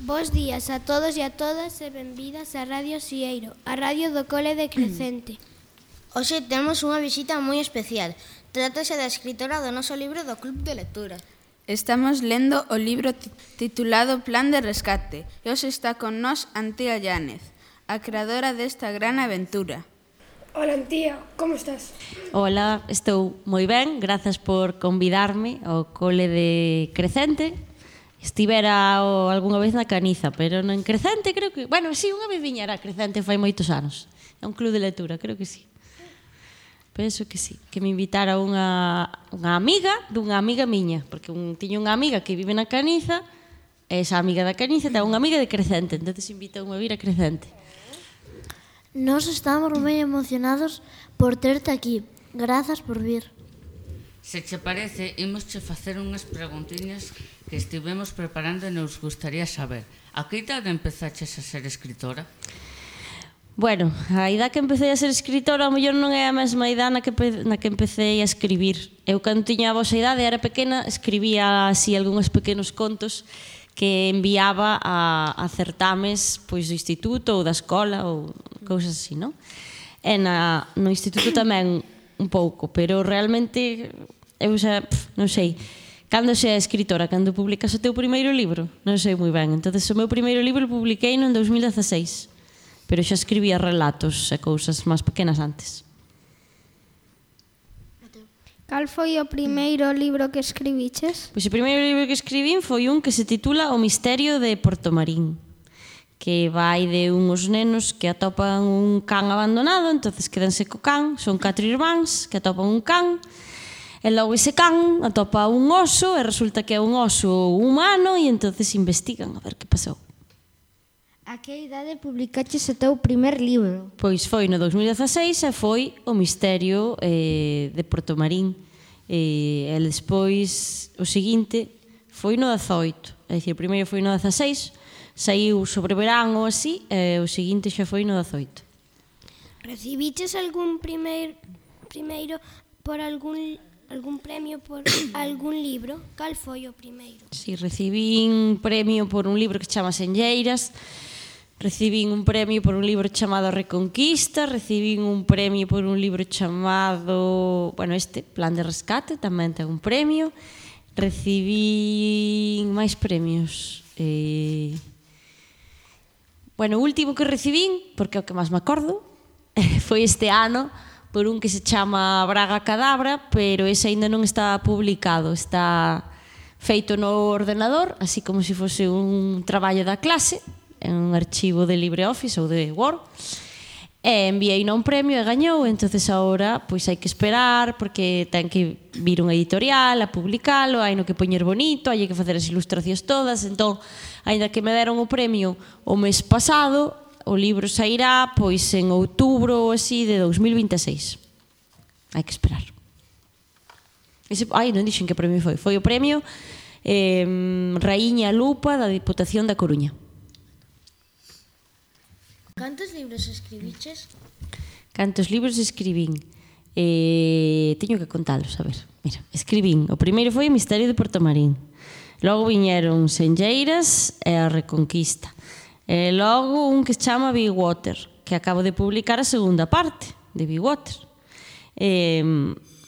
Bos días a todos e a todas e benvidas a Radio Sieiro, a radio do Cole de Crecente. Hoxe temos unha visita moi especial. Trátase da escritora do noso libro do Club de Lectura. Estamos lendo o libro titulado Plan de Rescate e hoxe está con nós Antía Llánez, a creadora desta gran aventura. Hola, Antía, como estás? Hola, estou moi ben, grazas por convidarme ao Cole de Crecente. Estivera algunha vez na Caniza, pero non en Crecente creo que... Bueno, sí, unha vez viñera a Crecente fai moitos anos. É un club de lectura, creo que sí. Penso que sí, que me invitara unha amiga dunha amiga miña, porque tiña unha amiga que vive na Caniza, e esa amiga da Caniza ten unha amiga de Crecente, entonces invitoume a vir a Crecente. Nós estamos moi emocionados por terte aquí. Grazas por vir. Se che parece, imosche facer unhas preguntiñas que estivemos preparando e nos gustaría saber. A que idade empezaches a ser escritora? Bueno, a idade que empecé a ser escritora ao mellor non é a mesma idade na que empecé a escribir. Eu, cando tiña a vosa idade, era pequena, escribía así algúns pequenos contos que enviaba a certames pois do instituto ou da escola ou cousas así, non? E no instituto tamén un pouco, pero realmente eu xa, non sei, cando xa é escritora, cando publicas o teu primeiro libro, non sei moi ben. Entonces o meu primeiro libro publiquei no 2016, pero xa escribía relatos e cousas máis pequenas antes. Cal foi o primeiro libro que escribiches? Pois o primeiro libro que escribín foi un que se titula O misterio de Portomarín, que vai de uns nenos que atopan un can abandonado, entonces quedanse co can, son 4 irmáns que atopan un can, e logo ese can atopa un oso e resulta que é un oso humano e entonces investigan a ver que pasou. A que idade publicaches o teu primer libro? Pois foi no 2016 e foi O misterio de Portomarín. E despois o seguinte foi no 18, é dicir, o primeiro foi no 16, saiu sobre verán ou así, e o seguinte xa foi no 18. Recibiches algún primeiro por algún premio por algún libro? Cal foi o primeiro? Si, recibín un premio por un libro que chama Senlleiras, recibín un premio por un libro chamado Reconquista, recibín un premio por un libro chamado, bueno, Plan de Rescate, tamén ten un premio, recibín máis premios. Bueno, o último que recibín, porque é o que máis me acordo, foi este ano, por un que se chama Braga Cadabra, pero ese aínda non está publicado, está feito no ordenador, así como se fose un traballo da clase, en un archivo de LibreOffice ou de Word, e enviei un premio e gañou, entonces agora pois hai que esperar, porque ten que vir unha editorial a publicalo, hai no que poñer bonito, hai que facer as ilustracións todas, entón, aínda que me deron o premio o mes pasado, o libro sairá pois en outubro ou así de 2026. Hai que esperar. Non dixen que premio foi. Foi o premio Raíña Lupa da Diputación da Coruña. Cantos libros escribiches? Cantos libros escribín? Teño que contalos, a ver. Mira, escribín. O primeiro foi O misterio de Portomarín. Logo viñeron Senlleiras e A Reconquista. E logo un que se chama Big Water, que acabo de publicar a segunda parte de Big Water.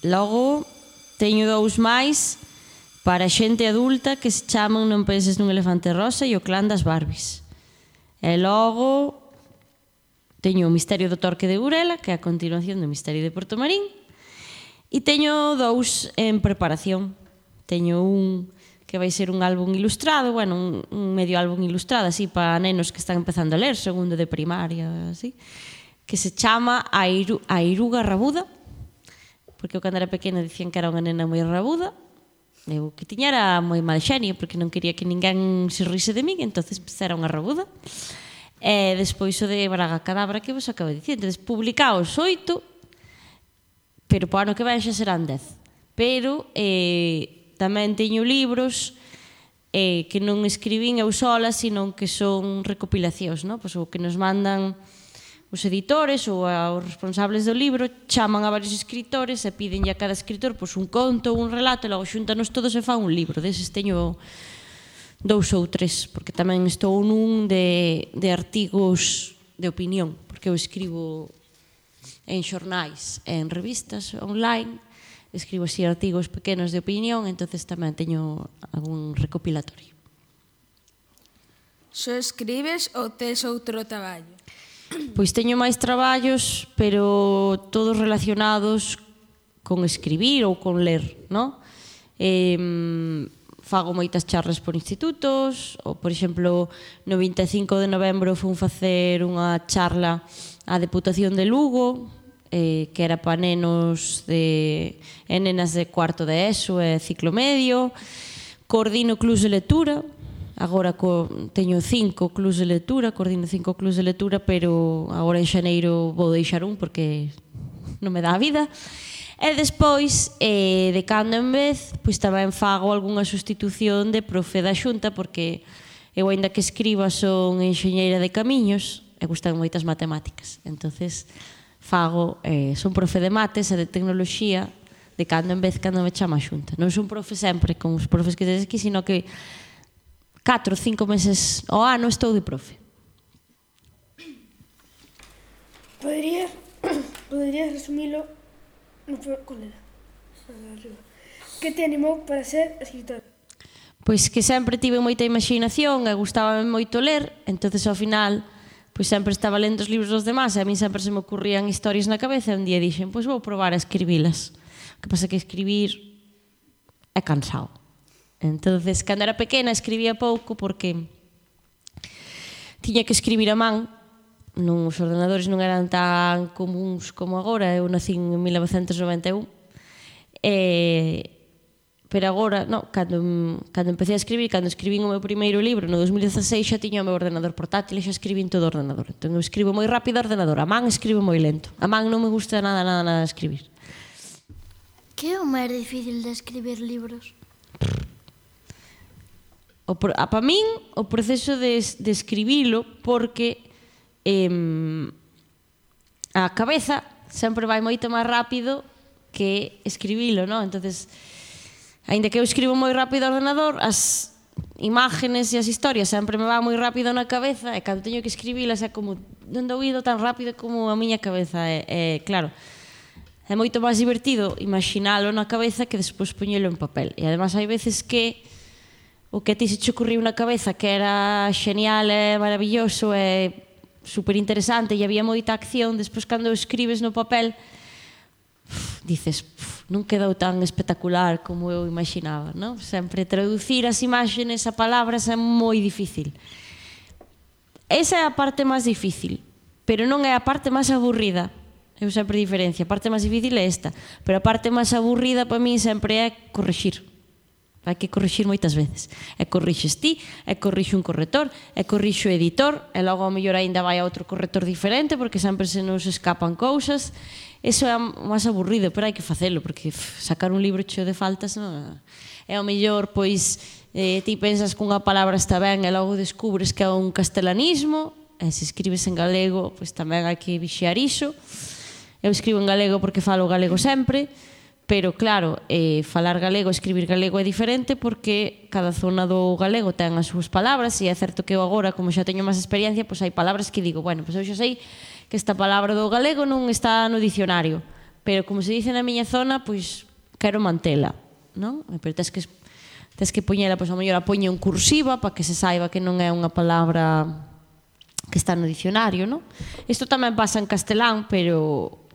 Logo teño 2 máis para xente adulta que se chaman Non penses nun elefante rosa e O clan das Barbies. E logo teño O misterio do Torque de Burela, que é a continuación do Misterio de Portomarín, e teño 2 en preparación. Teño un que vai ser un álbum ilustrado, bueno, un medio álbum ilustrado, así, para nenos que están empezando a ler, segundo de primaria, así, que se chama A Iruga Rabuda, porque eu cando era pequena dicían que era unha nena moi rabuda, eu que tiña era moi mal xenio, porque non quería que ninguén se rise de min, entonces era unha rabuda. E despois o de Braga Cadabra que vos acabo de dicir, entonces publicaos 8, pero para o ano que ven xa serán 10. Pero tamén teño libros que non escribín eu sola, sino que son recopilacións, non? Pois o que nos mandan os editores ou os responsables do libro chaman a varios escritores e piden a cada escritor pois un conto ou un relato e logo xúntanos todos e fan un libro. Deses teño 2 ou 3, porque tamén estou nun de artigos de opinión, porque eu escribo en xornais, en revistas online, escribo así artigos pequenos de opinión, entonces tamén teño algún recopilatorio. Só escribes ou tes outro traballo? Pois teño máis traballos, pero todos relacionados con escribir ou con ler, non? Fago moitas charlas por institutos, ou, por exemplo, no 25 de novembro fun facer unha charla á Deputación de Lugo, que era para nenos e nenas de cuarto de ESO e ciclo medio. Coordino clubs de lectura, agora teño 5 clubs de lectura, coordino 5 clubs de lectura, pero agora en xaneiro vou deixar un porque non me dá a vida. E despois, de cando en vez, pois tamén fago algunha sustitución de profe da Xunta, porque eu, aínda que escriba, son enxeñeira de camiños e gustan moitas matemáticas. Entonces, son profe de mates e de tecnoloxía de cando en vez, cando me chama a Xunta. Non son profe sempre, con os profes que tedes aquí, sino que 4 ou 5 meses ao ano estou de profe. Poderías resumilo con ela. Que te animou para ser escritora? Pois que sempre tive moita imaginación e gustábame moito ler, entonces ao final pois sempre estaba lendo os libros dos demás e a mí sempre se me ocurrían historias na cabeza e un día dixen, pois vou probar a escribilas. O que pasa que escribir é cansado. Entonces, cando era pequena escribía pouco porque tiña que escribir a man. Os ordenadores non eran tan comuns como agora, eu nací en 1991, pero agora, cando empecé a escribir, cando escribín o meu primeiro libro no 2016, xa tiña o meu ordenador portátil e xa escribín todo o ordenador. Entón eu escribo moi rápido o ordenador, a man escribo moi lento. A man non me gusta nada escribir. Que é o máis difícil de escribir libros? Para min, o proceso de escribilo, porque a cabeza sempre vai moito máis rápido que escribilo, non? Entonces, aínda que eu escribo moi rápido ao ordenador, as imágenes e as historias sempre me van moi rápido na cabeza e cando teño que escribilas é como non dou ido tan rápido como a miña cabeza. Claro, é moito máis divertido imaginalo na cabeza que despois poñelo en papel. E además hai veces que o que a ti se te ocurriu na cabeza que era xenial e maravilloso e super interesante e había moita acción, despois cando escribes no papel dices, non quedou tan espectacular como eu imaginaba, non? Sempre traducir as imaxes a palabras é moi difícil. Esa é a parte máis difícil, pero non é a parte máis aburrida. Eu sempre diferencio, a parte máis difícil é esta, pero a parte máis aburrida para mí sempre é corrixir. Hai que corrixir moitas veces. E corrixes ti, e corrixe un corrector, e corrixe o editor, e logo ao mellor ainda vai a outro corrector diferente, porque sempre se nos escapan cousas. Eso é o máis aburrido, pero hai que facelo, porque sacar un libro cheo de faltas non é ao mellor, pois, ti pensas que unha palabra está ben e logo descubres que é un castelanismo, e se escribes en galego, pois tamén hai que vixiar iso. Eu escribo en galego porque falo galego sempre, pero claro, falar galego, escribir galego é diferente porque cada zona do galego ten as súas palabras e é certo que eu agora, como xa teño máis experiencia, pois hai palabras que digo, bueno, pois eu xa sei que esta palabra do galego non está no dicionario, pero como se dice na miña zona, pois quero mantela, non? Pero tens que poñela, pois ao mellor a poño en cursiva para que se saiba que non é unha palabra que está no dicionario, non? Isto tamén pasa en castelán, pero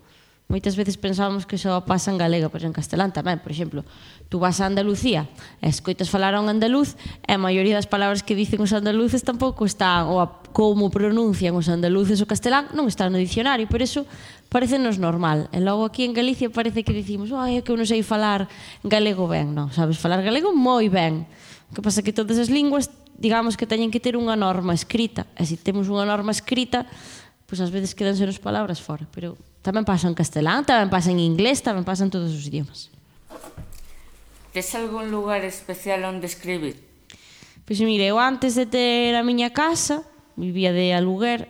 moitas veces pensamos que só pasa en galega, pero en castelán tamén. Por exemplo, tú vas a Andalucía e escoitas falar a un andaluz e a maioría das palabras que dicen os andaluces tampouco están, ou como pronuncian os andaluces o castelán, non está no dicionario, por eso parecenos normal. E logo aquí en Galicia parece que dicimos, é que eu non sei falar galego ben. Non, sabes falar galego moi ben. O que pasa é que todas as linguas, digamos que teñen que ter unha norma escrita. E se temos unha norma escrita, pois ás veces quedanse nos palabras fora, pero tamén pasa en castelán, tamén pasa en inglés, tamén pasa en todos os idiomas. Tes algún lugar especial onde escribir? Pois mire, eu antes de ter a miña casa, vivía de aluguer,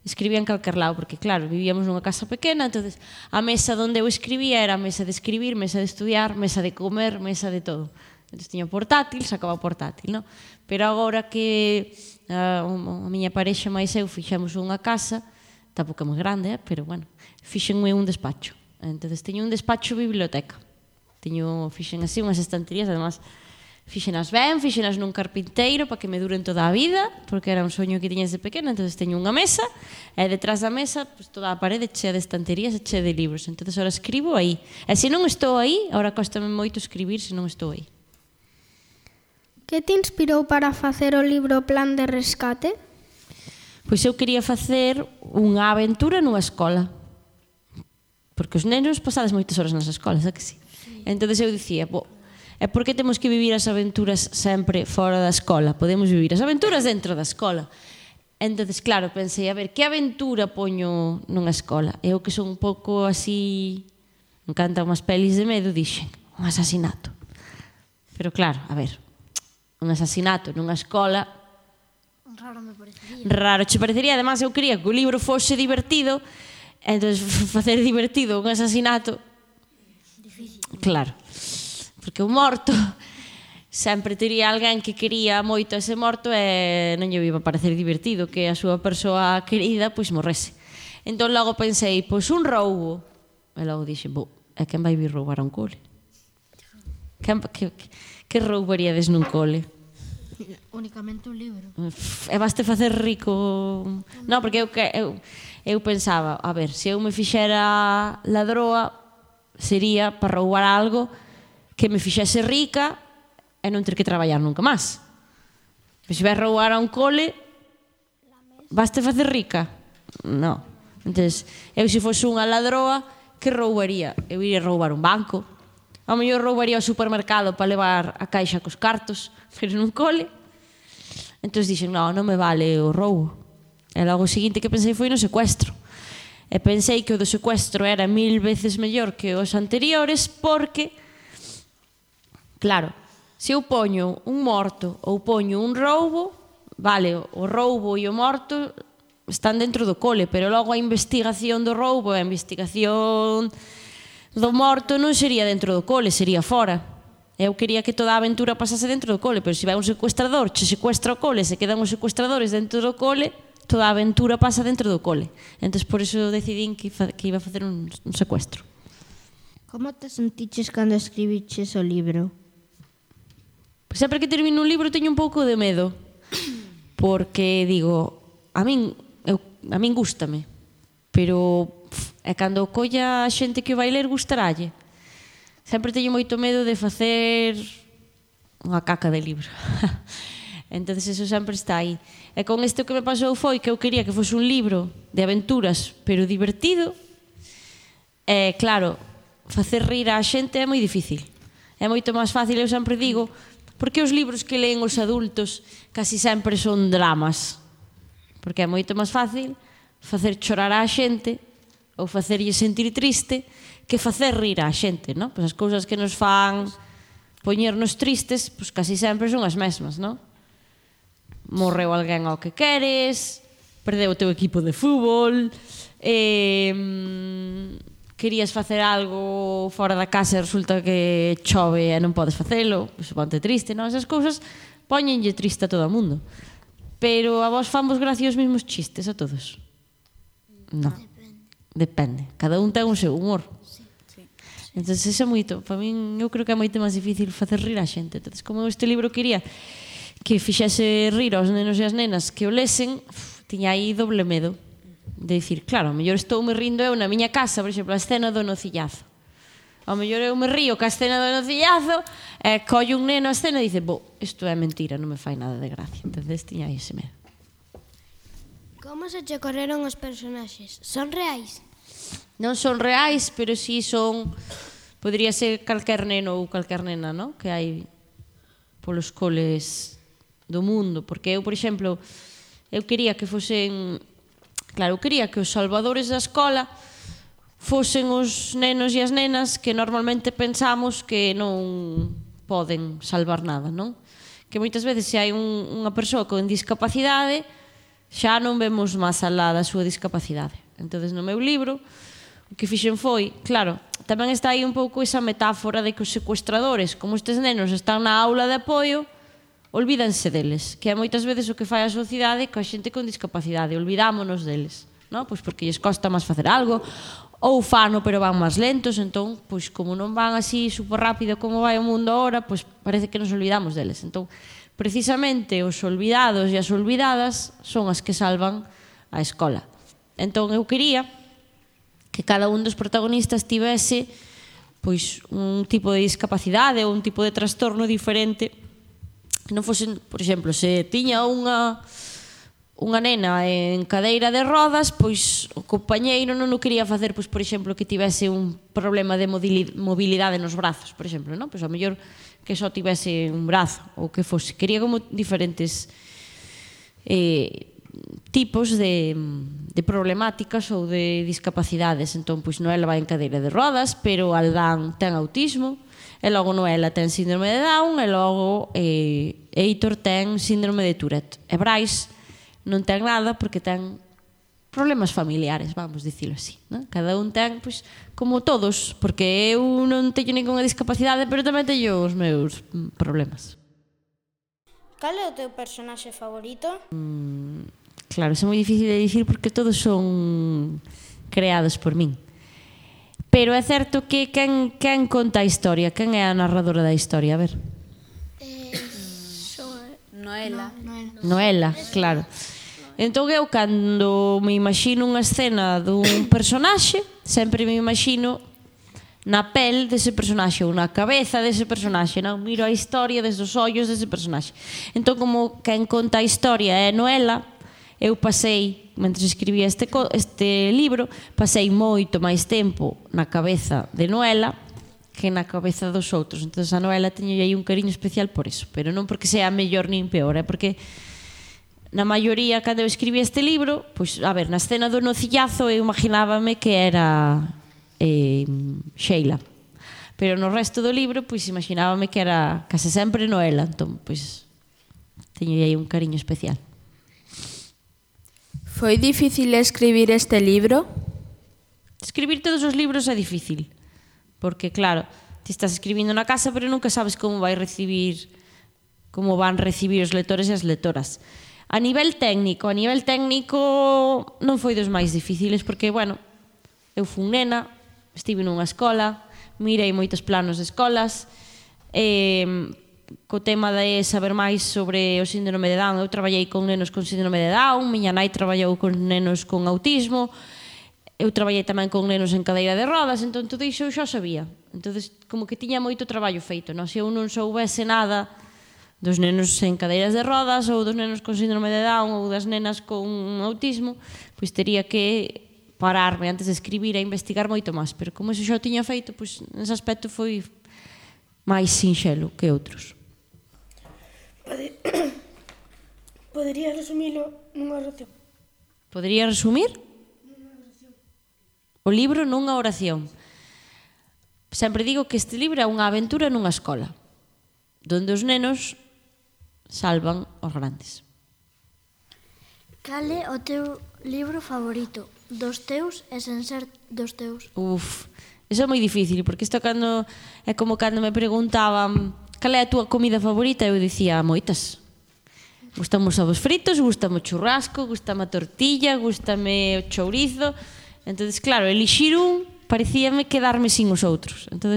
escribía en calquer lado, porque claro, vivíamos nunha casa pequena, entonces a mesa onde eu escribía era a mesa de escribir, mesa de estudiar, mesa de comer, mesa de todo. Entón, tiña o portátil, sacaba o portátil, non? Pero agora que a miña parexa máis eu fixemos unha casa, tampouco é moi grande, pero bueno, fixenme un despacho. Entón, teño un despacho biblioteca. Fixen así unhas estanterías, además, fixenas ben, fixenas nun carpinteiro para que me duren toda a vida, porque era un soño que tiña desde pequena. Entón, teño unha mesa, e detrás da mesa, pues, toda a parede chea de estanterías e chea de libros. Entón, ahora escribo aí. E se non estou aí, ahora costame moito escribir se non estou aí. Que te inspirou para facer o libro Plan de Rescate? Pois eu quería facer unha aventura nunha escola. Porque os nenos pasades moitas horas nas escolas, é que sí? Entón eu dicía, e por que temos que vivir as aventuras sempre fora da escola? Podemos vivir as aventuras dentro da escola. Entón, claro, pensei, a ver, que aventura poño nunha escola? Eu que son un pouco así, me encantan unhas pelis de medo, dixen, un asasinato. Pero claro, a ver, un asasinato nunha escola... Raro me parecería. Raro che parecería, además eu quería que o libro fose divertido, entón facer divertido un asasinato... Difícil. Claro, porque o morto sempre tería alguén que quería moito ese morto e non lle iba a parecer divertido que a súa persoa querida pois morrese. Entón logo pensei, pois un roubo. E logo dixe, é quen vai vir roubar a un cole? Que roubaríades nun cole? Únicamente un libro. E baste facer rico... Non, porque eu pensaba, a ver, se eu me fixera ladroa sería para roubar algo que me fixese rica e non ter que traballar nunca máis. Se vai roubar a un cole, baste facer rica? Non. Entón, eu se fose unha ladroa, que roubaría? Eu iría roubar un banco. Ao mellor roubaría o supermercado para levar a caixa cos cartos, pero nun cole. Entón dixen, non me vale o roubo. E logo o seguinte que pensei foi no secuestro. E pensei que o do secuestro era 1000 veces mellor que os anteriores porque, claro, se eu poño un morto ou poño un roubo, vale, o roubo e o morto están dentro do cole, pero logo a investigación do roubo e a investigación do morto non sería dentro do cole, sería fora. Eu quería que toda a aventura pasase dentro do cole, pero se vai un secuestrador, che secuestra o cole, se quedan os secuestradores dentro do cole, toda a aventura pasa dentro do cole. Entón, por iso decidín que iba a facer un secuestro. Como te sentiches cando escribiches o libro? Pois sempre que termino un libro teño un pouco de medo, porque digo, a min gústame, pero é cando colla a xente que o vai ler gustaralle. Sempre teño moito medo de facer unha caca de libro. Entón, eso sempre está aí. E con isto que me pasou foi que eu quería que fose un libro de aventuras, pero divertido. E, claro, facer rir a xente é moi difícil. É moito máis fácil, eu sempre digo, porque os libros que leen os adultos casi sempre son dramas. Porque é moito máis fácil facer chorar a xente ou facerlle sentir triste que facer rir a xente, non? Pois as cousas que nos fan poñernos tristes, pois casi sempre son as mesmas, non? Morreu alguén ao que queres, perdeu o teu equipo de fútbol, querías facer algo fora da casa e resulta que chove e non podes facelo, pois ponte triste, non? Esas cousas poñenlle triste a todo o mundo. Pero a vos famos gracia os mesmos chistes a todos? Non. Depende. Cada un ten o seu humor. Entón, eso é moito. Para min, eu creo que é moito máis difícil facer rir a xente. Entón, como este libro quería que fixese rir aos nenos e as nenas que o lesen, tiña aí doble medo de dicir, claro, ao mellor estoume rindo eu na miña casa, por exemplo, a escena do nocillazo. Ao mellor eu me río ca escena do nocillazo e collo un neno a escena e dice, isto é mentira, non me fai nada de gracia. Entón, tiña aí ese medo. Como se che correron os personaxes? Son reais? Non son reais, pero si son... Podría ser calquer neno ou calquer nena, non? Que hai polos coles do mundo, porque eu, por exemplo, eu quería que fosen, claro, eu quería que os salvadores da escola fosen os nenos e as nenas que normalmente pensamos que non poden salvar nada, non? Que moitas veces se hai unha persoa con discapacidade xa non vemos máis alá da súa discapacidade. Entón, no meu libro, o que fixen foi, claro, tamén está aí un pouco esa metáfora de que os secuestradores, como estes nenos están na aula de apoio, olvídanse deles, que é moitas veces o que fai a sociedade coa xente con discapacidade, olvidámonos deles, non? Pois porque lles costa máis facer algo, ou fano pero van máis lentos, entón, pois como non van así super rápido como vai o mundo agora, pois parece que nos olvidamos deles. Entón, precisamente os olvidados e as olvidadas son as que salvan a escola. Entón, eu quería que cada un dos protagonistas tivese pois un tipo de discapacidade ou un tipo de trastorno diferente, que non fosen, por exemplo, se tiña unha nena en cadeira de rodas, pois o compañeiro non o quería facer, pois, por exemplo, que tivese un problema de mobilidade nos brazos, por exemplo, non? Pois ao mellor que só tivese un brazo ou que fose. Quería como diferentes tipos de problemáticas ou de discapacidades. Entón, pois Noela vai en cadeira de rodas, pero Aldán ten autismo, e logo Noela ten síndrome de Down, e logo Heitor ten síndrome de Tourette. E Brais non ten nada porque ten problemas familiares, vamos dicilo así, non? Cada un ten, pois, como todos, porque eu non teño ninguna discapacidade, pero tamén teño os meus problemas. Cal é o teu personaxe favorito? Claro, é moi difícil de dicir porque todos son creados por min. Pero é certo que quen conta a historia, quen é a narradora da historia, a ver? Noela, claro. Entón eu, cando me imagino unha escena dun personaxe, sempre me imagino na pel dese personaxe ou na cabeza dese personaxe, non? Miro a historia desde os ollos dese personaxe. Entón, como quen conta a historia é Noela, eu pasei, mentre escribía este libro, pasei moito máis tempo na cabeza de Noela que na cabeza dos outros. Entón, a Noela teño aí un cariño especial por eso, pero non porque sea mellor nin peor, é porque na maioría, cando eu escribí este libro, pois, a ver, na escena do nocillazo eu imaginábame que era Sheila, pero no resto do libro, pois, imaginábame que era case sempre Noela. Entón, pois, teño aí un cariño especial. Foi difícil escribir este libro? Escribir todos os libros é difícil, porque, claro, ti estás escribindo na casa, pero nunca sabes como van recibir os lectores e as lectoras. A nivel técnico non foi dos máis difíciles, porque, bueno, eu fui nena, estive nunha escola, mirei moitos planos de escolas, co tema de saber máis sobre o síndrome de Down. Eu traballei con nenos con síndrome de Down, miña nai traballou con nenos con autismo, eu traballei tamén con nenos en cadeira de rodas, entón todo iso eu xa sabía. Entón, como que tiña moito traballo feito, non? Se eu non soubese nada dos nenos en cadeiras de rodas ou dos nenos con síndrome de Down ou das nenas con autismo, pois tería que pararme antes de escribir e investigar moito máis, pero como iso xa o tiña feito, pois nese aspecto foi máis sinxelo que outros. Poderías resumilo nunha oración? Podería resumir o libro nunha oración. Sempre digo que este libro é unha aventura nunha escola, donde os nenos salvan os grandes. Cal é o teu libro favorito? Dos teus e sen ser dos teus? Iso é moi difícil, porque isto é como cando me preguntaban cal é a túa comida favorita, eu dicía moitas. Gústame os ovos fritos, gústame o churrasco, gústame a tortilla, gústame o chourizo. Entón, claro, elixir un parecíame quedarme sin os outros. Entón,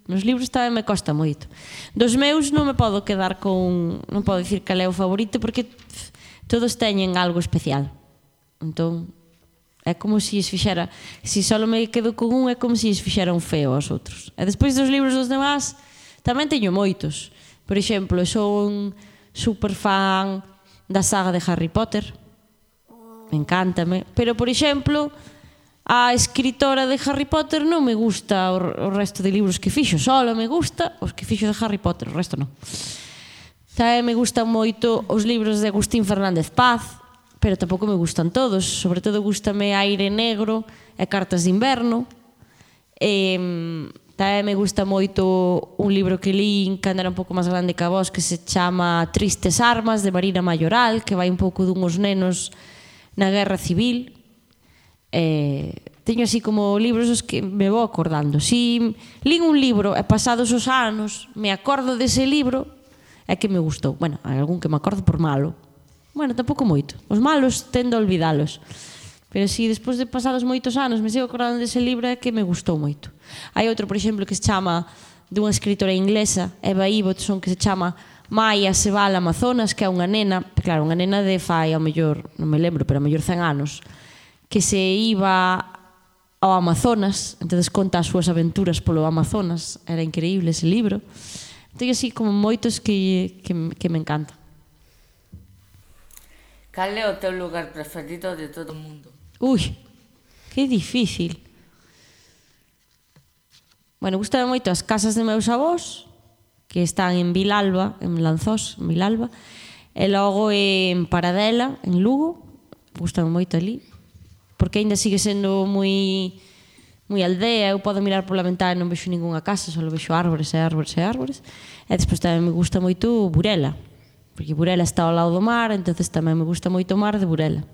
nos libros tamén me costa moito. Dos meus non me podo quedar con... Non podo dicir cal é o favorito, porque todos teñen algo especial. Entón, é como se es fixera... Se só me quedo con un, é como se es fixera un feo aos outros. E despois dos libros dos demás, tamén teño moitos. Por exemplo, son super fan da saga de Harry Potter. Encántame. Pero, por exemplo, a escritora de Harry Potter non me gusta o resto de libros que fixo. Só me gusta os que fixo de Harry Potter, o resto non. Tamén me gustan moito os libros de Agustín Fernández Paz, pero tampouco me gustan todos. Sobre todo gústame Aire Negro e Cartas de Inverno. Tamén me gusta moito un libro que lín cando era un pouco máis grande que a vos, que se chama Tristes Armas, de Marina Mayoral, que vai un pouco dunhos nenos na Guerra Civil. teño así como libros os que me vou acordando. Si lín un libro e pasados os anos me acordo dese libro, é que me gustou. Bueno, hai algún que me acordo por malo. Bueno, tampouco moito. Os malos tendo a olvidalos. Pero si despois de pasados moitos anos me sigo acordando dese libro, é que me gustou moito. Hai outro, por exemplo, que se chama, dunha escritora inglesa, Eva Ibbotson, que se chama Maya se va al Amazonas, que é unha nena, claro, unha nena de fai, ao mellor, non me lembro, pero ao mellor 100 anos, que se iba ao Amazonas, entonces conta as súas aventuras polo Amazonas. Era increíble ese libro. Teño así como moitos que me encantan. Cal é o teu lugar preferido de todo o mundo? Ui, que difícil. Bueno, gustame moito as casas de meus avós, que están en Vilalba, en Lanzós, en Vilalba, e logo en Paradela, en Lugo. Gustame moito ali, porque aínda sigue sendo moi aldea. Eu podo mirar pola ventana e non vexo ningunha casa, só vexo árbores e árbores e árbores. E despois tamén me gusta moito Burela, porque Burela está ao lado do mar, entonces tamén me gusta moito o mar de Burela.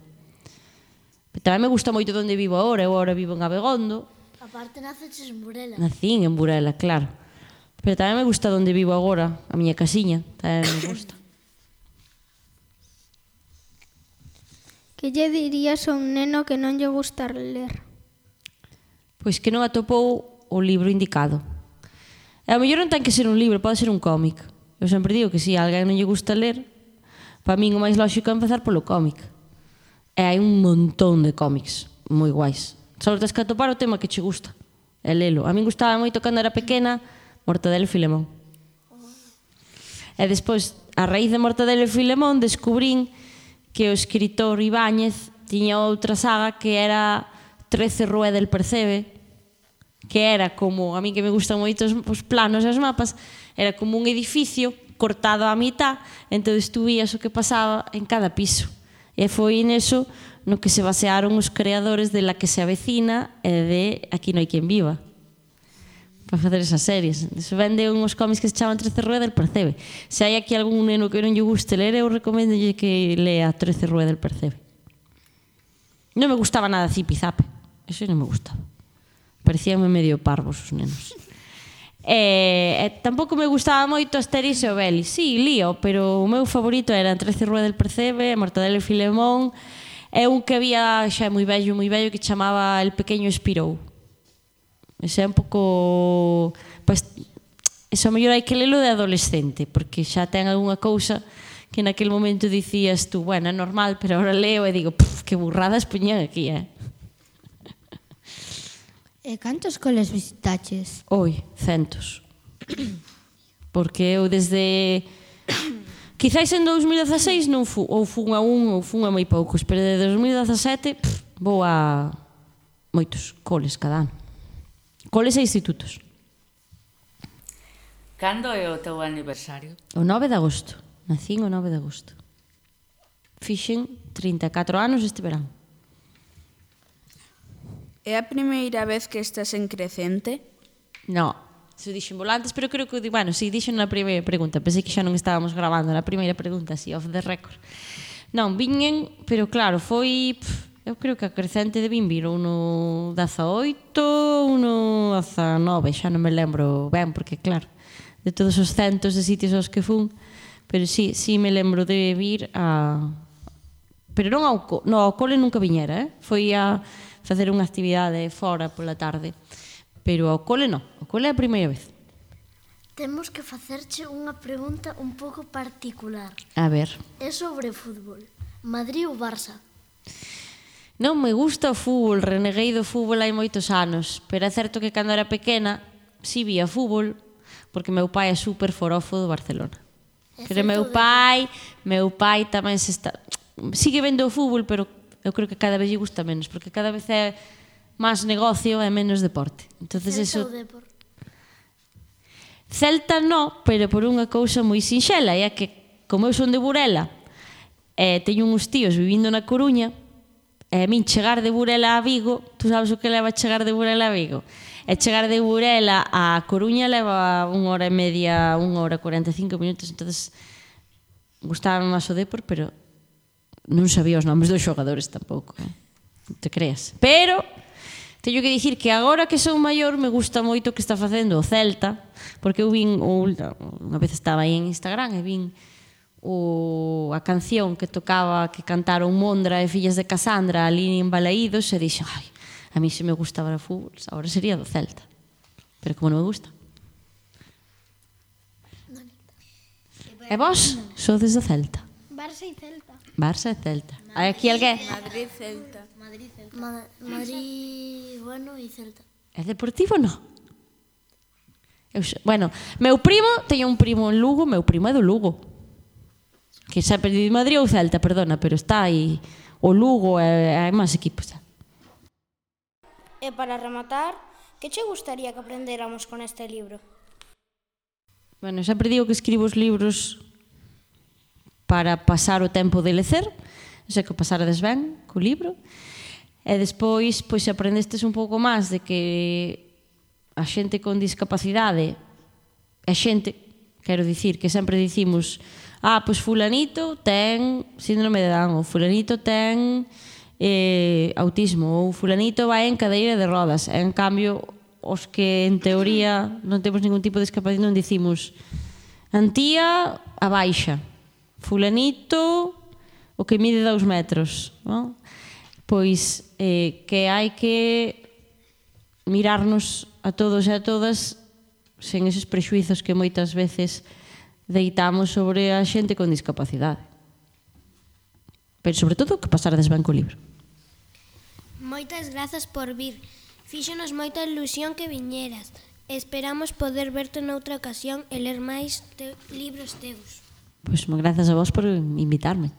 Pero tamén me gusta moito onde vivo agora. Eu agora vivo en Abegondo. Aparte naceches en Burela. Nacín en Burela, claro. Pero tamén me gusta onde vivo agora, a miña casiña, tamén me gusta. Que lle dirías a un neno que non lle gusta ler? Pois que non atopou o libro indicado. E ao mellor non ten que ser un libro, pode ser un cómic. Eu sempre digo que se a alguén non lle gusta ler, para min o máis lógico é empezar polo cómic. E hai un montón de cómics moi guais. Só tens que atopar o tema que che gusta e lelo. A min gustaba moito cando era pequena Mortadelo e Filemón. E despois, a raíz de Mortadelo e Filemón, descubrín que o escritor Ibáñez tiña outra saga que era 13 Rue del Percebe, que era como, a mí que me gustan moito os planos e os mapas, era como un edificio cortado á mitad, entón tú vías o que pasaba en cada piso. E foi neso no que se basearon os creadores de La que se avecina e de Aquí no hai quen viva, para facer esas series. Se vende uns cómics que se chaman 13 Rue del Percebe. Se hai aquí algún neno que non lle guste ler, eu recomendo que lea 13 Rue del Percebe. Non me gustaba nada Zipizape, eso non me gustaba. Parecíanme medio parvos os nenos. E tampouco me gustaba moito Asterix e Obelix. Sí, lío, pero o meu favorito era 13 Rue del Percebe, Mortadelo e Filemón, e un que había xa moi vello, que chamaba El pequeño Espirou. Ese é un pouco... Pues, eso a mellor hai que lelo de adolescente, porque xa ten algunha cousa que naquele momento dicías tú, bueno, é normal, pero ahora leo e digo, que burradas poñían aquí, E cantos coles visitaches? Oi, centos. Porque eu desde... Quizais en 2016 non ou fun a un ou fun a moi poucos, pero desde 2017 vou a moitos coles cada ano. Coles e institutos. Cando é o teu aniversario? O 9 de agosto. Nacín o 9 de agosto. Fixen 34 anos este verán. É a primeira vez que estás en Crecente? No, se dixen volantes, pero creo que, bueno, si dixen na primeira pregunta, pensei que xa non estábamos grabando na primeira pregunta, así, off the record. Non, viñen, pero claro, foi, eu creo que a Crecente debín vir uno 18, uno 19, xa non me lembro ben, porque claro, de todos os centos de sitios aos que fun, pero sí me lembro de vir a... Pero non ao cole nunca viñera, foi a facer unha actividade fora pola tarde. Pero ao cole non, ao cole é a primeira vez. Temos que facerche unha pregunta un pouco particular. A ver. É sobre fútbol. Madrid ou Barça? Non me gusta o fútbol, reneguei do fútbol hai moitos anos, pero é certo que cando era pequena si vía fútbol, porque meu pai é super forofo do Barcelona. Pero meu pai tamén se está... Sigue vendo o fútbol, pero eu creo que cada vez lle gusta menos, porque cada vez é máis negocio e menos deporte. Entonces eso... Celta no, pero por unha cousa moi sinxela, é que como eu son de Burela e teño uns tíos vivindo na Coruña, e a min chegar de Burela a Vigo, tú sabes o que leva chegar de Burela a Vigo? E chegar de Burela a Coruña leva 1 hora e media, 1 hora e 45 minutos, entonces gustaba máis o Depor, pero non sabía os nomes dos xogadores tampouco, non te creas. Pero Teño que dicir que agora que son maior me gusta moito o que está facendo o Celta, porque eu vin, unha vez estaba aí en Instagram e vin a canción que tocaba, que cantaron Mondra e Fillas de Casandra ali en Balaídos, e dixo, ai, a mí se me gustaba o fútbol, agora sería do Celta. Pero como non me gusta. E vos sodes do Celta? Barça e Celta. Barça e Celta. Hai aquí alguén? Madrid, Celta. Madrid, bueno, e Celta. É deportivo, non? Bueno, meu primo, teño un primo en Lugo, meu primo é do Lugo. Que sempre di Madrid ou Celta, perdona, pero está aí o Lugo e hai máis equipos. E para rematar, que che gustaría que aprendéramos con este libro? Bueno, sempre digo que escribo os libros para pasar o tempo de lecer, sei que o pasarades ben co libro, e despois, pois, se aprendestes un pouco máis de que a xente con discapacidade é xente, quero dicir, que sempre dicimos, pois fulanito ten síndrome de Down, ou fulanito ten autismo, ou fulanito vai en cadeira de rodas, e en cambio, os que en teoría non temos ningún tipo de discapacidade non dicimos Antía a baixa, fulanito o que mide 2 metros, non? Pois que hai que mirarnos a todos e a todas sen eses prexuizos que moitas veces deitamos sobre a xente con discapacidade. Pero sobre todo que pasarades ben co libro. Moitas grazas por vir. Fíxonos moita ilusión que viñeras. Esperamos poder verte noutra ocasión e ler máis libros teus. Pois grazas a vos por invitarme.